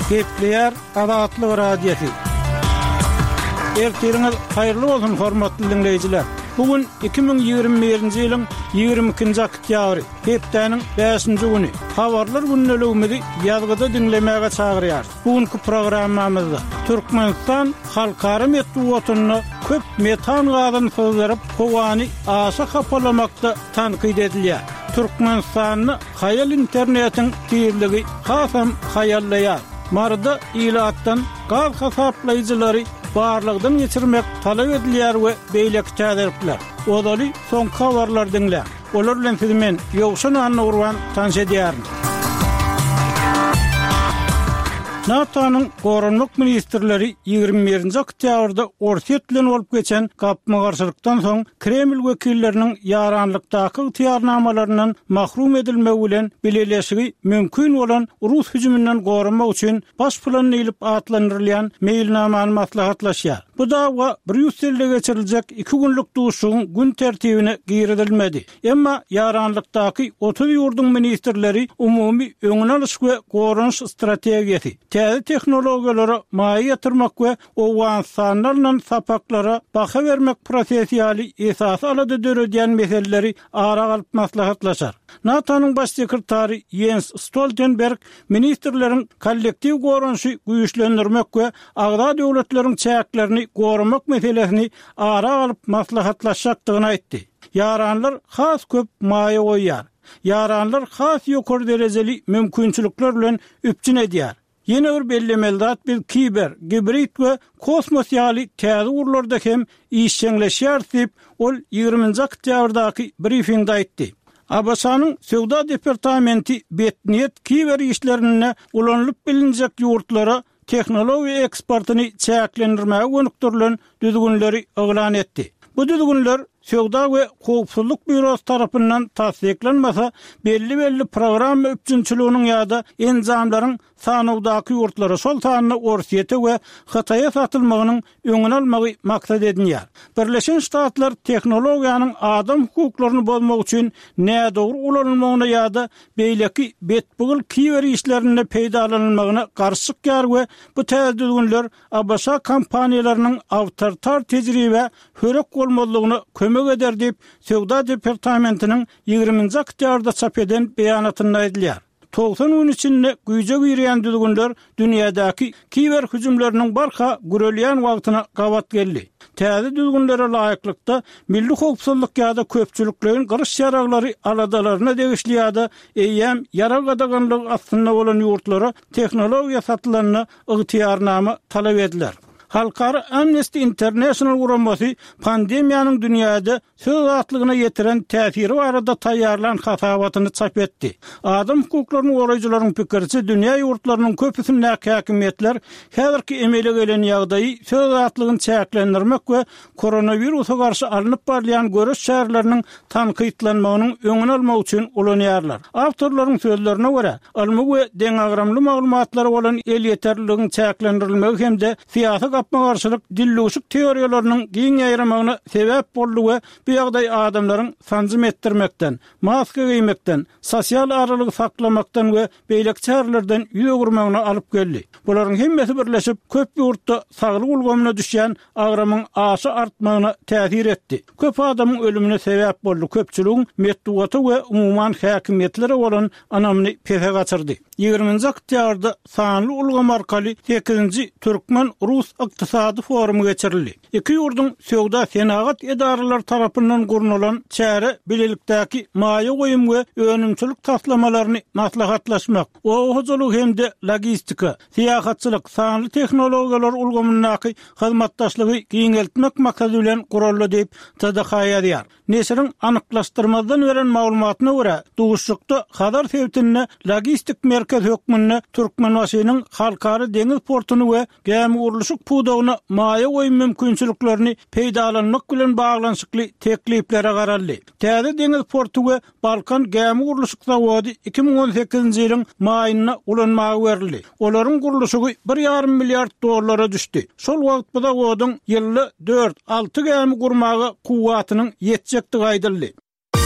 Gepleýär Azatlyk Radiosy. Ertiriňiz haýyrly bolsun, hormatly diňleýjiler! Bu gün 2021-nji ýylyň 22-nji oktýabry, hepdäniň bäşinji güni. Habarlar gündeligimizi ýazgyda diňlemäge çagyrýarys. Bu günki programmamyzda Türkmenistan halkara metbugatynda köp metan gazyny syzdyryp, howany aşa hapalamakda tankyt edilýär. Türkmenistanda haýal internetiň tizligi hasam haýallaýar. Maryda ilatdan gaz hasaplaýjylary barlagdan geçirmek talap edilýär we beýleki täzelikler. Ozaly soňky habarlary diňläň. Olar bilen sizi men, Ýowşan Annagurban tanyş edýärin. NATO-nyň Goranmak ministrleri 21-nji oktýabrda Orsýet bilen bolup geçen gapma-garşylykdan soň Kreml wekilleriniň ýaranlykdaky ygtyýarnamalaryndan mahrum edilmegi bilen bileleşigi mümkin bolan rus hüjüminden goramak üçin baş plan diýlip atlandyrylýan meýilnamany maslahatlaşýar. Bu dawa Brýusselde geçiriljek iki günlük duşuşygyň gün tertibine girizilmedi. Emma ýaranlykdaky 30 ýurduň ministrleri umumy öňüni alyş we goranyş strategiýasy, täze tehnologiýalara maýa ýatyrmak we Owganystanda alnan sapaklara baha bermek prosesi ýaly esasy alada döredýän meseleleri ara alyp maslahatlaşar. NATO-nyň Baş sekretary Ýens Stoltenberg ministrleriň kollektiw goranyşy güýçlendirmek we agza döwletleriň çäklerini goramak meselesini ara alyp maslahatlaşjakdygyny aýtdy. Ýaranlar has köp maýa goýýar. Ýaranlar has ýokary derejeli mümkinçilikler bilen üpjün edýär. Ýene bir bellemeli zat biz kiber, gibrid we kosmos ýaly täze ugurlarda hem işjeňleşýäris diýip, ol ýigriminji oktýabrdaky brifingde aýtdy. ABŞ-nyň Söwda departamenti betniýet kiber işlerinde ulanylyp bilinjek ýurtlara tehnologiýa eksportyny çäklendirmäge gönükdirilen düzgünleri yglan etdi. Bu düzgünler Söwda we howpsuzlyk býurosy tarapyndan tassyklanmasa, belli-belli programma üpjünçiliginiň ýa-da enjamlaryň sanawdaky ýurtlara, şol sanda Orsýete we Hytaýa satylmagynyň öňüni almagy maksat edinýär. Birleşen Ştatlar tehnologiýanyň adam hukuklaryny bozmak üçin nädogry ulanylmagyna ýa-da beýleki betpygyl kiber işlerinde peýdalanylmagyna garşy çykýar we bu täze düzgünler ABŞ kompaniýalarynyň awtoritar tejribä hörek bolmazlygyna kömek eder diýip, Söwda departamentiniň ýigriminji oktýabrda çap eden beýanatynda aýdylýar. 90 gün içinde güýje girýän düzgünler dünýädäki kiber hüjümleriniň barha gürelýän wagtyna gabat geldi. Täze düzgünlere laýyklykda, milli howpsuzlyk ýa-da köpçülikleýin gyryş ýaraglary aladalaryna degişli ýa-da eýýäm ýarag gadaganlygy astynda bolan ýurtlara tehnologiýa satylanda ygtyýarnama talap ediler. Halkara Amnesty International guramasy pandemiýanyň dünýäde söz azatlygyna ýetiren täsiri barada taýýarlan hasabatyny çap etdi. Adam hukuklaryny goraýjylaryň pikiriçe, dünýä ýurtlarynyň köpüsindäki häkimiýetler häzirki emele gelen ýagdaýy söz azatlygyny çäklendirmek we koronawirusa garşy alnyp barylýan göreş çäreleriniň tankytlanmagynyň öňüni almak üçin ulanýarlar. Awtorlaryň sözlerine görä, ylmy we deňagramly maglumatlara bolan elýeterliligiň çäklendirilmegi hem-de syýasy gapma-garşylyk dildüwşük teoriýalarynyň giň ýaýramagyna sebäp boldy we bu ýagdaý adamlaryň sanjym etdirmekden, maska geýmekden, sosial aralygy saklamakdan we beýleki çärelerden ýüz öwürmegine alyp geldi. Bularyň hemmesi birleşip, köp ýurtda saglyk ulgamyna düşýän agramyň aşa artmagyna täsir etdi. Köp adamyň ölümine sebäp boldy, köpçüligiň metbugata we umuman häkimiýetlere bolan ynamyny pese gaçyrdy. Ýigriminji oktýabrda sanly ulgam arkaly sekizinji türkmen-rus ykdysady forumy geçirildi. Iki ýurduň söwda-senagat edaralary tarapyndan gurnalan çäre bilelikdäki maýa goýum we önümçilik taslamalaryny maslahatlaşmak, oba hojalygy hem-de logistika, syýahatçylyk, sanly tehnologiýalar ulgamyndaky hyzmatdaşlygy giňeltmek maksady bilen guraldy diýip, TDH ýazýar. Neşiriň anyklaşdyrmazdan beren maglumatyna görä, duşuşykda Hazar sebitinde logistik merkez hökmünde Türkmenbaşynyň Halkara deňiz portuny we gämigurluşyk pudagyna maýa goýum mümkinçiliklerini peýdalanmak bilen baglanyşykly tekliplere garaldy. Täze deňiz porty we Balkan gämigurluşyk zawody 2018-nji ýylyň maýynda ulanmaga berildi. Olaryň gurluşygy bir ýarym milliard dollara düşdi. Şol wagt bu zawodyň ýylda dört, alty gämi gurmaga kuwwatynyň ýetjekdigi aýdyldy.